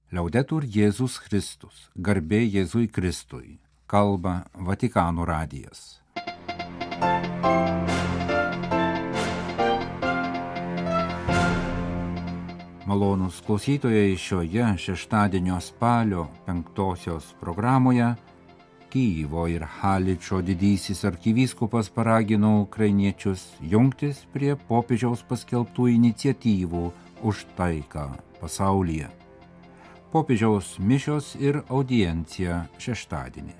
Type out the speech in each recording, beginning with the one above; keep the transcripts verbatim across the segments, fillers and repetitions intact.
Liaudetur Jėzus Kristus, garbė Jėzui Kristui, kalba Vatikano radijas. Malonūs klausytojai, šioje šeštadienio spalio penktosios programoje Kyjivo ir Haličo didysis arkivyskupas paragino ukrainiečius jungtis prie popiežiaus paskelbtų iniciatyvų už taiką pasaulyje. Popiežiaus mišios ir audiencija šeštadienį.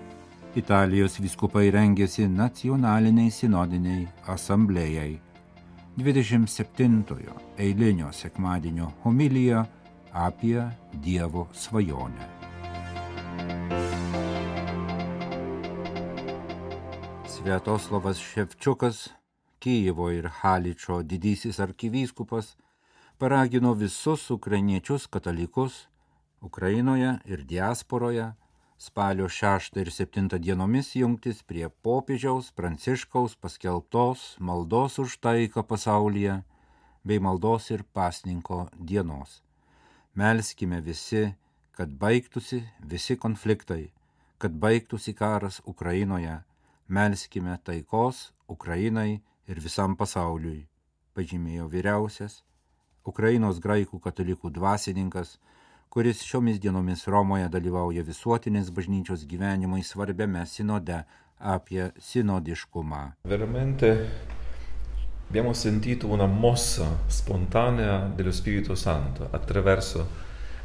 Italijos vyskupai rengėsi nacionaliniai sinodiniai asamblėjai. dvidešimt septintojo eilinio sekmadienio homilija apie Dievo svajonę. Sviatoslavas Ševčiukas, Kyjivo ir Haličo didysis arkivyskupas, paragino visus ukrainiečius katalikus Ukrainoje ir diasporoje spalio šeštą ir septintą dienomis jungtis prie popiežiaus Pranciškaus paskelbtos maldos už taiką pasaulyje bei maldos ir pasninko dienos. Melskime visi, kad baigtųsi visi konfliktai, kad baigtųsi karas Ukrainoje, melskime taikos Ukrainai ir visam pasauliui, pažymėjo vyriausias Ukrainos graikų katalikų dvasininkas, kuris šiomis dienomis Romoje dalyvauja visuotinės bažnyčios gyvenimui svarbiame sinode apie sinodiškumą. Veramente abbiamo sentito una mossa spontanea dello Spirito Santo attraverso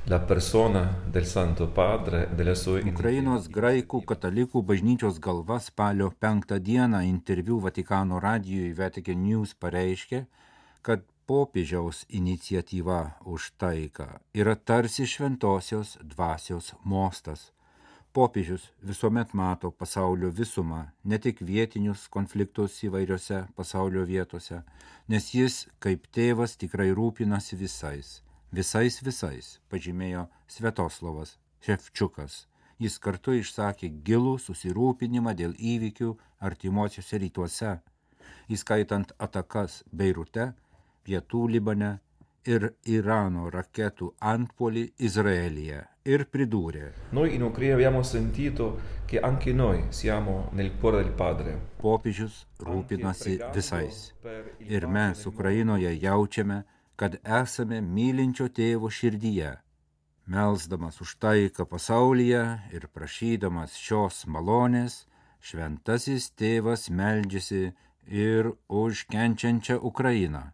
la persona del Santo Padre e delle sue Ukrainos graikų katalikų bažnyčios galva spalio penktą dieną interviu Vatikano radijui Vatican News pareiškė, kad popiežiaus iniciatyva už taiką yra tarsi šventosios dvasios mostas. Popiežius visuomet mato pasaulio visumą, ne tik vietinius konfliktus įvairiose pasaulio vietose, nes jis kaip tėvas tikrai rūpinasi visais, visais visais, pažymėjo Sviatoslavas Ševčiukas. Jis kartu išsakė gilų susirūpinimą dėl įvykių artimuosiuose rytuose, įskaitant atakas Beirute, Pietų Libane ir Irano raketų antpuolį Izraelyje, ir pridūrė: Noi in Ucraina abbiamo sentito che anche noi siamo nel cuore del Padre. Popiežius rūpinasi visais. Ir mes Ukrainoje jaučiame, kad esame mylinčio tėvo širdyje. Melsdamas už taiką pasaulyje ir prašydamas šios malonės, šventasis tėvas meldžiasi ir už kenčiančią Ukrainą.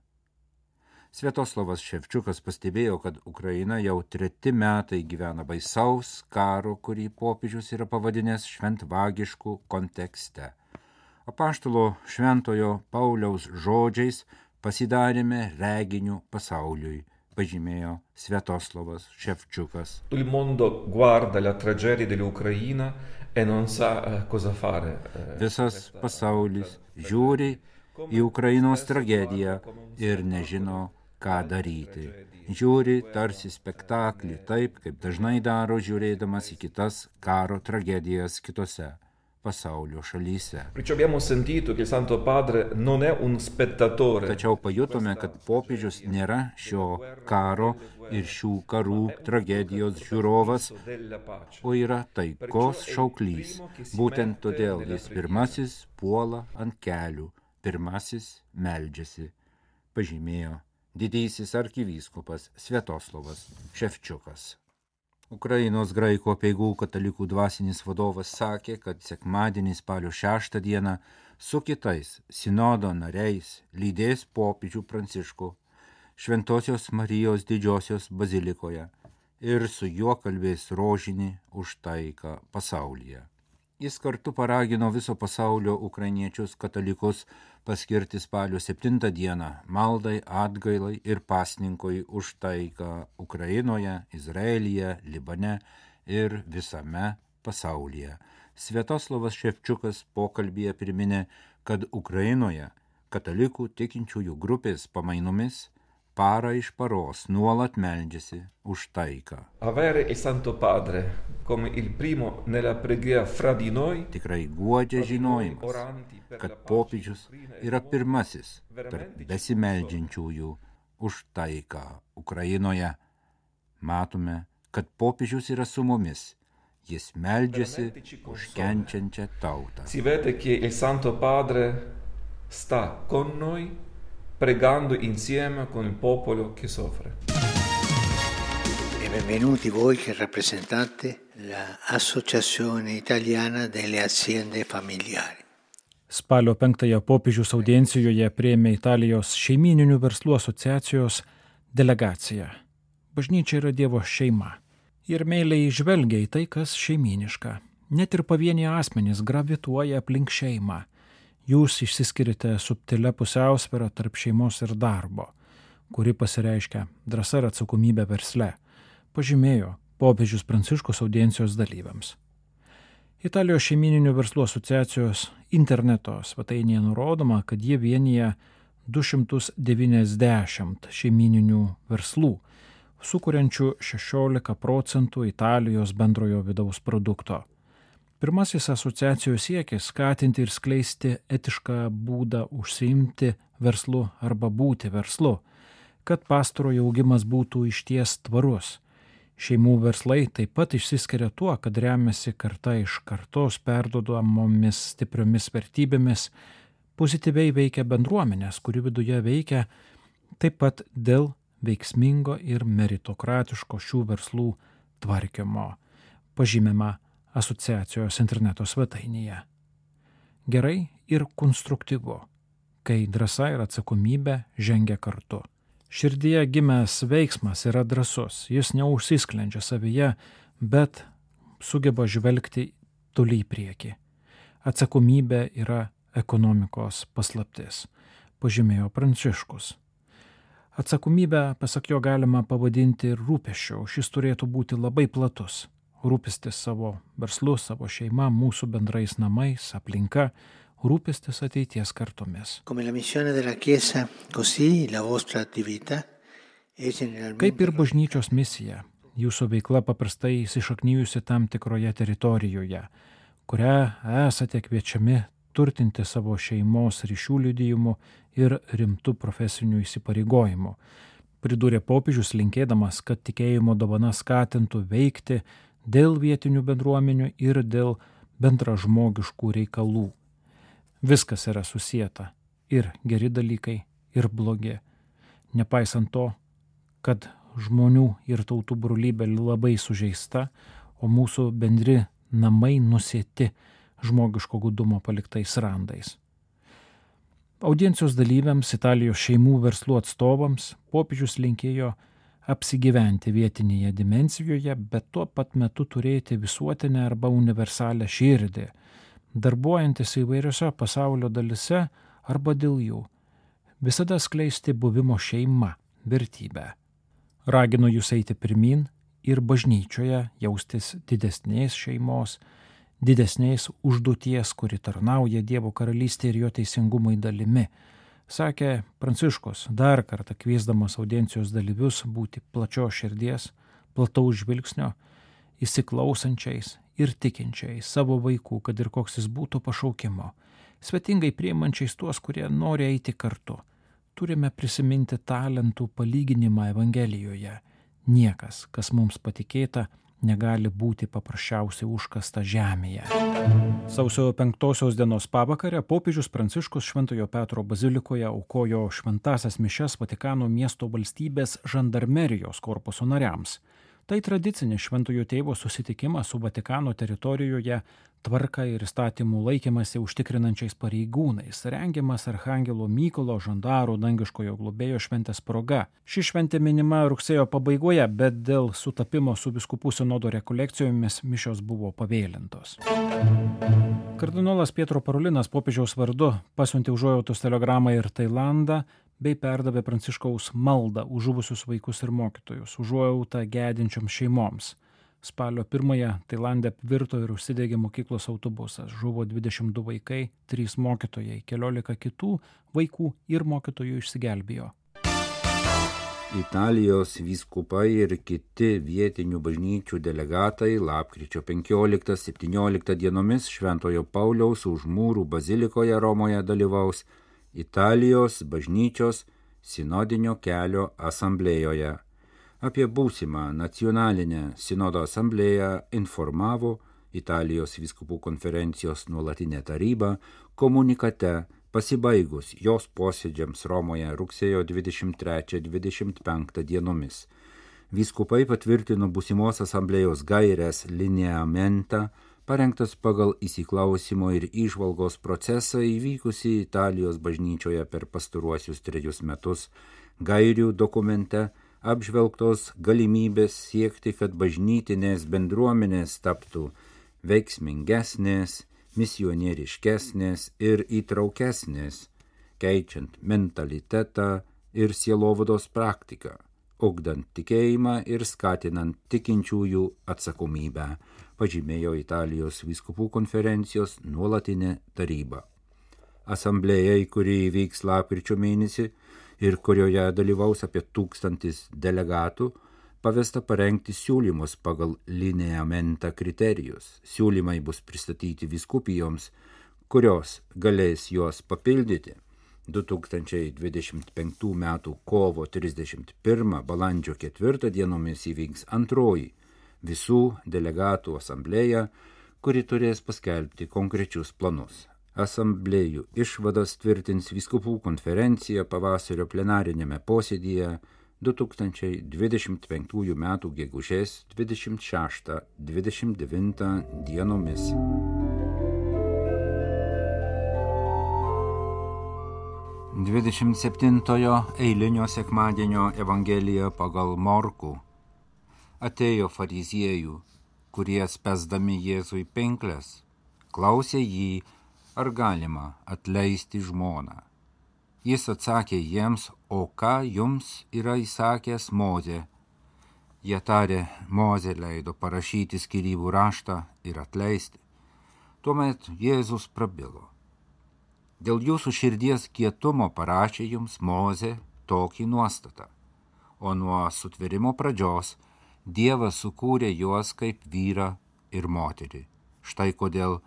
Sviatoslavas Ševčiukas pastebėjo, kad Ukraina jau treti metai gyvena baisaus karo, kurį popiežius yra pavadinęs šventvagišku kontekste. Apaštalo šventojo Pauliaus žodžiais pasidarėme reginiu pasauliui, pažymėjo Sviatoslavas Ševčiukas. Il mondo guarda la tragedia dell'Ucraina e non sa cosa fare. Visas pasaulis žiūri į Ukrainos tragediją ir nežino, ką daryti. Žiūri tarsi spektaklį, taip kaip dažnai daro žiūrėdamas į kitas karo tragedijas kitose pasaulio šalyse. Tačiau pajutome, kad popiežius nėra šio karo ir šių karų tragedijos žiūrovas, o yra taikos šauklys. Būtent todėl jis pirmasis puola ant kelių, pirmasis meldžiasi, pažymėjo didysis arkivyskupas Sviatoslavas Ševčiukas. Ukrainos graikų apeigų katalikų dvasinis vadovas sakė, kad sekmadienį spalio šeštą dieną su kitais sinodo nariais lydės popiežių Pranciškų Šventosios Marijos didžiosios bazilikoje ir su juo kalbės rožinį už taiką pasaulyje. Jis kartu paragino viso pasaulio ukrainiečius katalikus paskirti spalio septintą dieną maldai, atgailai ir pasninkui už taiką Ukrainoje, Izraelyje, Libane ir visame pasaulyje. Sviatoslavas Ševčiukas pokalbyje priminė, kad Ukrainoje katalikų tikinčiųjų grupės pamainomis parą iš paros nuolat meldžiasi už taiką. Avere il Santo Padre come il primo nella preghiera fra di noi. Tikrai guodžia žinojimas, kad popiežius yra pirmasis tarp besimeldžiančiųjų už taiką Ukrainoje. Matome, kad popiežius yra su mumis. Jis meldžiasi už kenčiančią tautą. Si vede che il Santo Padre sta con noi, pregando insieme con il popolo che soffre. E benvenuti voi che rappresentate l'Associazione Italiana delle Aziende Familiari. Spalio penktąją popiežiaus audiencijoje priėmė Italijos šeimyninių verslų asociacijos delegacija. Bažnyčia yra Dievo šeima. Ir meiliai žvelgia į tai, kas šeimyniška. Net ir pavieniai asmenys gravituoja aplink šeimą. Jūs išsiskirite subtilia pusiausvyrą tarp šeimos ir darbo, kuri pasireiškia drąsa ir atsakomybė versle, pažymėjo popiežius Pranciškus audiencijos dalyviams. Italijos šeimyninių verslų asociacijos interneto svetainėje nurodoma, kad jie vienyje du šimtus devyniasdešimt šeimyninių verslų, sukuriančių šešiolika procentų Italijos bendrojo vidaus produkto. Pirmasis asociacijos siekis skatinti ir skleisti etišką būdą užsiimti verslu arba būti verslu, kad pastarojo augimas būtų išties tvarus. Šeimų verslai taip pat išsiskiria tuo, kad remiasi karta iš kartos perduodamomis stipriomis vertybėmis, pozityviai veikia bendruomenės, kuri viduje veikia taip pat dėl veiksmingo ir meritokratiško šių verslų tvarkymo, pažymima asociacijos interneto svetainėje. Gerai ir konstruktyvu, kai drąsa ir atsakomybė žengia kartu. Širdyje gimęs veiksmas yra drąsus, jis neužsisklendžia savyje, bet sugeba žvelgti toli į priekį. Atsakomybė yra ekonomikos paslaptis, pažymėjo Pranciškus. Atsakomybę, pasak jo, galima pavadinti ir rūpesčiu, šis turėtų būti labai platus. Rūpestis savo verslu, savo šeima, mūsų bendrais namais, aplinka, rūpestis ateities kartomis. Kaip ir bažnyčios misija, jūsų veikla paprastai įsišaknyjusi tam tikroje teritorijoje, kurią esate kviečiami turtinti savo šeimos ryšių liudijimu ir rimtų profesinių įsipareigojimų. Pridūrė popiežius linkėdamas, kad tikėjimo dovana skatintų veikti dėl vietinių bendruomenių ir dėl bendražmogiškų reikalų. Viskas yra susieta, ir geri dalykai, ir blogi. Nepaisant to, kad žmonių ir tautų brolybė labai sužeista, o mūsų bendri namai nusėti žmogiško gudumo paliktais randais. Audiencijos dalyviams, Italijos šeimų verslų atstovams, popiežius linkėjo apsigyventi vietinėje dimensijoje, bet tuo pat metu turėti visuotinę arba universalią širdį, darbuojantis įvairiose pasaulio dalise arba dėl jų, visada skleisti buvimo šeima vertybę. Raginu jūs eiti pirmin ir bažnyčioje jaustis didesnės šeimos, didesnės užduoties, kuri tarnauja Dievo karalystė ir jo teisingumai dalimi, sakė Pranciškus, dar kartą kviesdamas audiencijos dalyvius būti plačios širdies, plataus žvilgsnio, įsiklausančiais ir tikinčiais savo vaikų, kad ir koks jis būtų pašaukimo, svetingai priimančiais tuos, kurie nori eiti kartu. Turime prisiminti talentų palyginimą Evangelijoje. Niekas, kas mums patikėta, negali būti paprasčiausiai užkasta žemėje. Sausio penktosios dienos pavakarę popiežius Pranciškus Šventojo Petro bazilikoje aukojo šventąsias mišias Vatikano miesto valstybės žandarmerijos korpuso nariams. Tai tradicinis Šventojo Tėvo susitikimas su Vatikano teritorijoje tvarką ir įstatymų laikymasi užtikrinančiais pareigūnais, rengiamas Archangelo Mykolo žandaro dangiškojo globėjo šventės proga. Ši šventė minima rugsėjo pabaigoje, bet dėl sutapimo su vyskupų sinodo rekolekcijomis mišios buvo pavėlintos. Kardinolas Pietro Parolinas popiežiaus vardu pasiuntė užuojautos telegramą ir Tailandą, bei perdavė Pranciškaus maldą už žuvusius vaikus ir mokytojus, užuojautą gedinčioms šeimoms. Spalio pirmąją Tailande apvirto ir užsidegė mokyklos autobusas. Žuvo dvidešimt du vaikai, trys mokytojai, keliolika kitų vaikų ir mokytojų išsigelbėjo. Italijos vyskupai ir kiti vietinių bažnyčių delegatai lapkričio penkioliktą septynioliktą dienomis Šventojo Pauliaus už mūrų bazilikoje Romoje dalyvaus Italijos bažnyčios sinodinio kelio asamblėjoje. Apie būsimą nacionalinę sinodo asamblėją informavo Italijos vyskupų konferencijos nuolatinė taryba komunikate pasibaigus jos posėdžiams Romoje rugsėjo dvidešimt trečią dvidešimt penktą dienomis. Vyskupai patvirtino būsimos asamblėjos gaires lineamentą, parengtas pagal įsiklausimo ir įžvalgos procesą įvykusį Italijos bažnyčioje per pastaruosius trejus metus. Gairių dokumente apžvelgtos galimybės siekti, kad bažnytinės bendruomenės taptų veiksmingesnės, misionieriškesnės ir įtraukesnės, keičiant mentalitetą ir sielovados praktiką, ugdant tikėjimą ir skatinant tikinčiųjų atsakomybę, pažymėjo Italijos vyskupų konferencijos nuolatinė taryba. Asamblėjai, kuri įvyks lapkričio mėnesį ir kurioje dalyvaus apie tūkstantis delegatų, pavesta parengti siūlymus pagal lineamentą kriterijus. Siūlymai bus pristatyti vyskupijoms, kurios galės juos papildyti. du tūkstančiai dvidešimt penktų metų kovo trisdešimt pirmą balandžio ketvirtą dienomis įvyks antroji visų delegatų asamblėja, kuri turės paskelbti konkrečius planus. Asamblėjų išvadas tvirtins vyskupų konferencija pavasario plenarinėme posėdyje du tūkstančiai dvidešimt penktųjų metų gegužės dvidešimt šeštą dvidešimt devintą dienomis. dvidešimt septintojo eilinio sekmadienio evangelija pagal Morkų. Atėjo fariziejų, kurie spęsdami Jėzui pinkles, klausė jį, ar galima atleisti žmoną. Jis atsakė jiems, o ką jums yra įsakęs Mozė? Jie tarė, Mozė leido parašyti skyrybų raštą ir atleisti. Tuomet Jėzus prabilo. Dėl jūsų širdies kietumo parašė jums Mozė tokį nuostatą, o nuo sutvėrimo pradžios Dievas sukūrė juos kaip vyrą ir moterį. Štai kodėl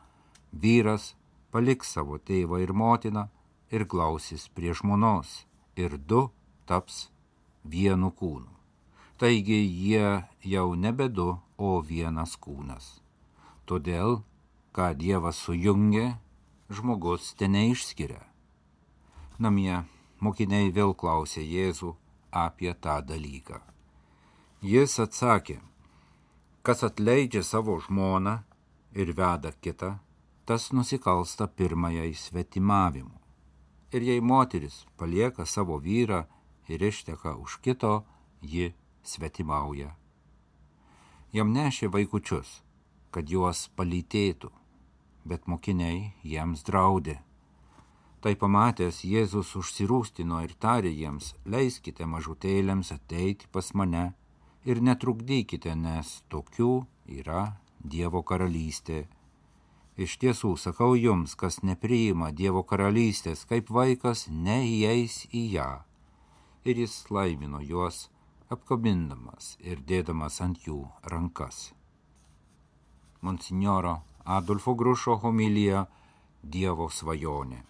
vyras paliks savo tėvą ir motiną ir glausis prie žmonos, ir du taps vienu kūnu. Taigi jie jau nebe du, o vienas kūnas. Todėl, ką Dievas sujungė, žmogus te neišskiria. Namie mokiniai vėl klausė Jėzų apie tą dalyką. Jis atsakė, kas atleidžia savo žmoną ir veda kitą, tas nusikalsta pirmajai svetimavimu. Ir jei moteris palieka savo vyrą ir išteka už kito, ji svetimauja. Jam nešė vaikučius, kad juos palytėtų, bet mokiniai jiems draudė. Tai pamatęs Jėzus užsirūstino ir tarė jiems, leiskite mažutėlėms ateiti pas mane ir netrukdykite, nes tokių yra Dievo karalystė. Iš tiesų, sakau jums, kas nepriima Dievo karalystės, kaip vaikas neįeis į ją. Ir jis laimino juos, apkabindamas ir dėdamas ant jų rankas. Monsinjoro Adolfo Grušo homilija Dievo svajonė.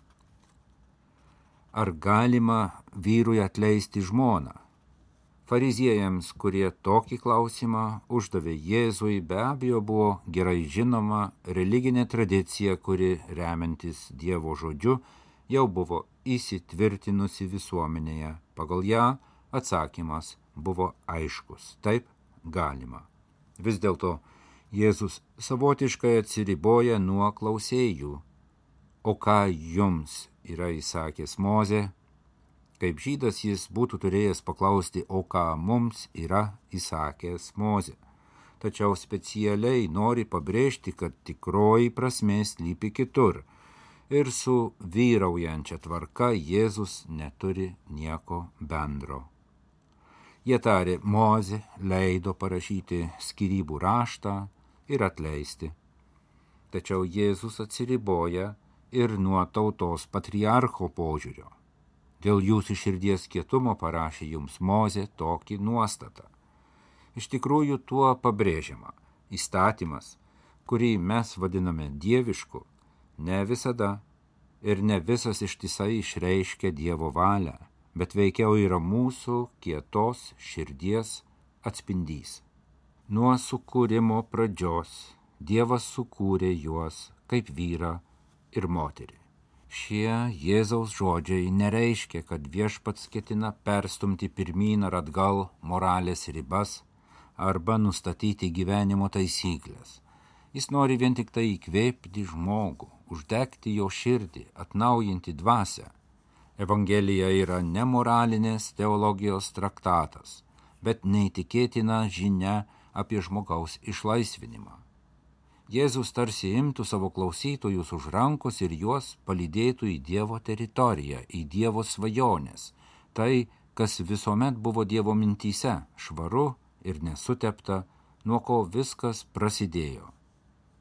Ar galima vyrui atleisti žmoną? Fariziejams, kurie tokį klausimą uždavė Jėzui, be abejo buvo gerai žinoma religinė tradicija, kuri remiantis Dievo žodžiu jau buvo įsitvirtinusi visuomenėje. Pagal ją atsakymas buvo aiškus. Taip, galima. Vis dėlto Jėzus savotiškai atsiriboja nuo klausėjų. O ką jums yra įsakęs Mozė? Kaip žydas jis būtų turėjęs paklausti, o ką mums yra įsakęs Mozė. Tačiau specialiai nori pabrėžti, kad tikroji prasmė slypi kitur. Ir su vyraujančia tvarka Jėzus neturi nieko bendro. Jie tarė, Mozė leido parašyti skyrybų raštą ir atleisti. Tačiau Jėzus atsiriboja ir nuo tautos patriarcho požiūrio. Dėl jūsų širdies kietumo parašė jums Mozė tokį nuostatą. Iš tikrųjų tuo pabrėžiama. Įstatymas, kurį mes vadiname dievišku, ne visada ir ne visas ištisai išreiškia Dievo valią, bet veikiau yra mūsų kietos širdies atspindys. Nuo sukūrimo pradžios Dievas sukūrė juos kaip vyrą ir moterį. Šie Jėzaus žodžiai nereiškia, kad viešpats ketina perstumti pirmyn ar atgal moralės ribas arba nustatyti gyvenimo taisyklės. Jis nori vien tik tai įkvėpti žmogų, uždegti jo širdį, atnaujinti dvasią. Evangelija yra ne moralinės teologijos traktatas, bet neįtikėtina žinia apie žmogaus išlaisvinimą. Jėzus tarsi imtų savo klausytojus už rankos ir juos palydėtų į Dievo teritoriją, į Dievo svajonės. Tai, kas visuomet buvo Dievo mintyse, švaru ir nesutepta, nuo ko viskas prasidėjo.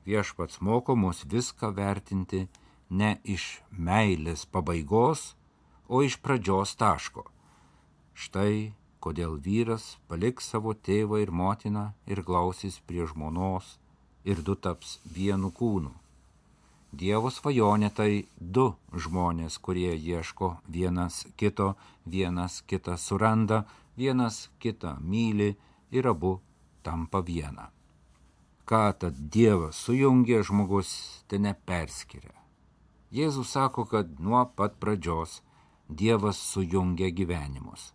Viešpats moko mus viską vertinti ne iš meilės pabaigos, o iš pradžios taško. Štai kodėl vyras paliks savo tėvą ir motiną ir glausis prie žmonos, ir du taps vienu kūnu. Dievo svajonė tai du žmonės, kurie ieško vienas kito, vienas kitą suranda, vienas kitą myli ir abu tampa viena. Ką tad Dievas sujungė, žmogus te neperskiria. Jėzus sako, kad nuo pat pradžios Dievas sujungia gyvenimus.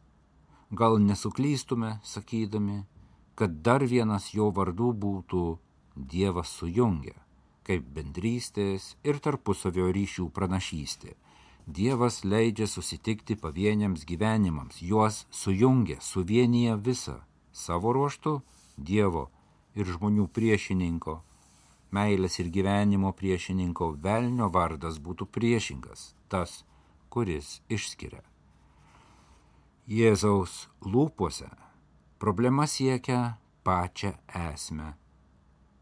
Gal nesuklystume, sakydami, kad dar vienas jo vardų būtų Dievas sujungia, kaip bendrystės ir tarpusavio ryšių pranašystė. Dievas leidžia susitikti pavieniams gyvenimams, juos sujungia, suvienyje visą, savo ruožtu Dievo ir žmonių priešininko, meilės ir gyvenimo priešininko velnio vardas būtų priešingas, tas, kuris išskiria. Jėzaus lūpose problema siekia pačią esmę.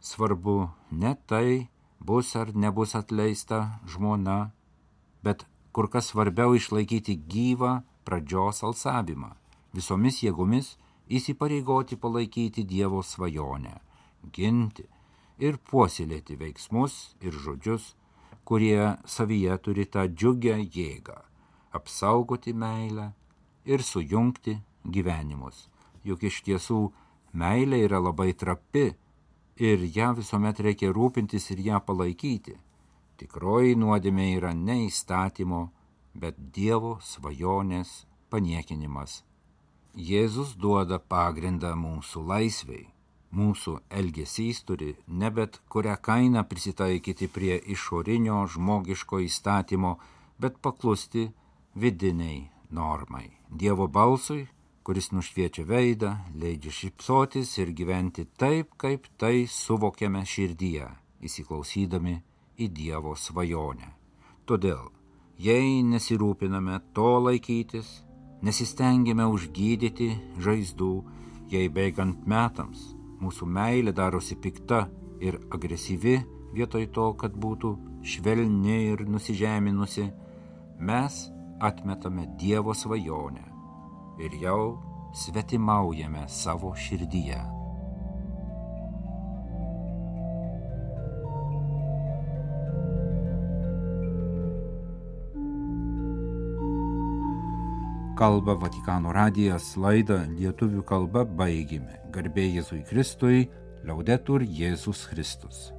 Svarbu ne tai, bus ar nebus atleista žmona, bet kur kas svarbiau išlaikyti gyvą pradžios alsavimą, visomis jėgomis įsipareigoti palaikyti Dievo svajonę, ginti ir puoselėti veiksmus ir žodžius, kurie savyje turi tą džiugią jėgą, apsaugoti meilę ir sujungti gyvenimus. Juk iš tiesų meilė yra labai trapi, ir ją visuomet reikia rūpintis ir ją palaikyti. Tikroji nuodėmė yra ne įstatymo, bet Dievo svajonės paniekinimas. Jėzus duoda pagrindą mūsų laisvei. Mūsų elgesys turi ne bet kurią kainą prisitaikyti prie išorinio žmogiško įstatymo, bet paklusti vidiniai normai. Dievo balsui, kuris nušviečia veidą, leidžia šypsotis ir gyventi taip, kaip tai suvokiame širdyje, įsiklausydami į Dievo svajonę. Todėl, jei nesirūpiname to laikytis, nesistengėme užgydyti žaizdų, jei bėgant metams mūsų meilė darosi pikta ir agresyvi, vietoj to, kad būtų švelni ir nusižeminusi, mes atmetame Dievo svajonę ir jau svetimaujame savo širdyje. Kalba Vatikano radijas, laidą lietuvių kalba baigėme. Garbė Jėzui Kristui, Laudetur Jėzus Kristus.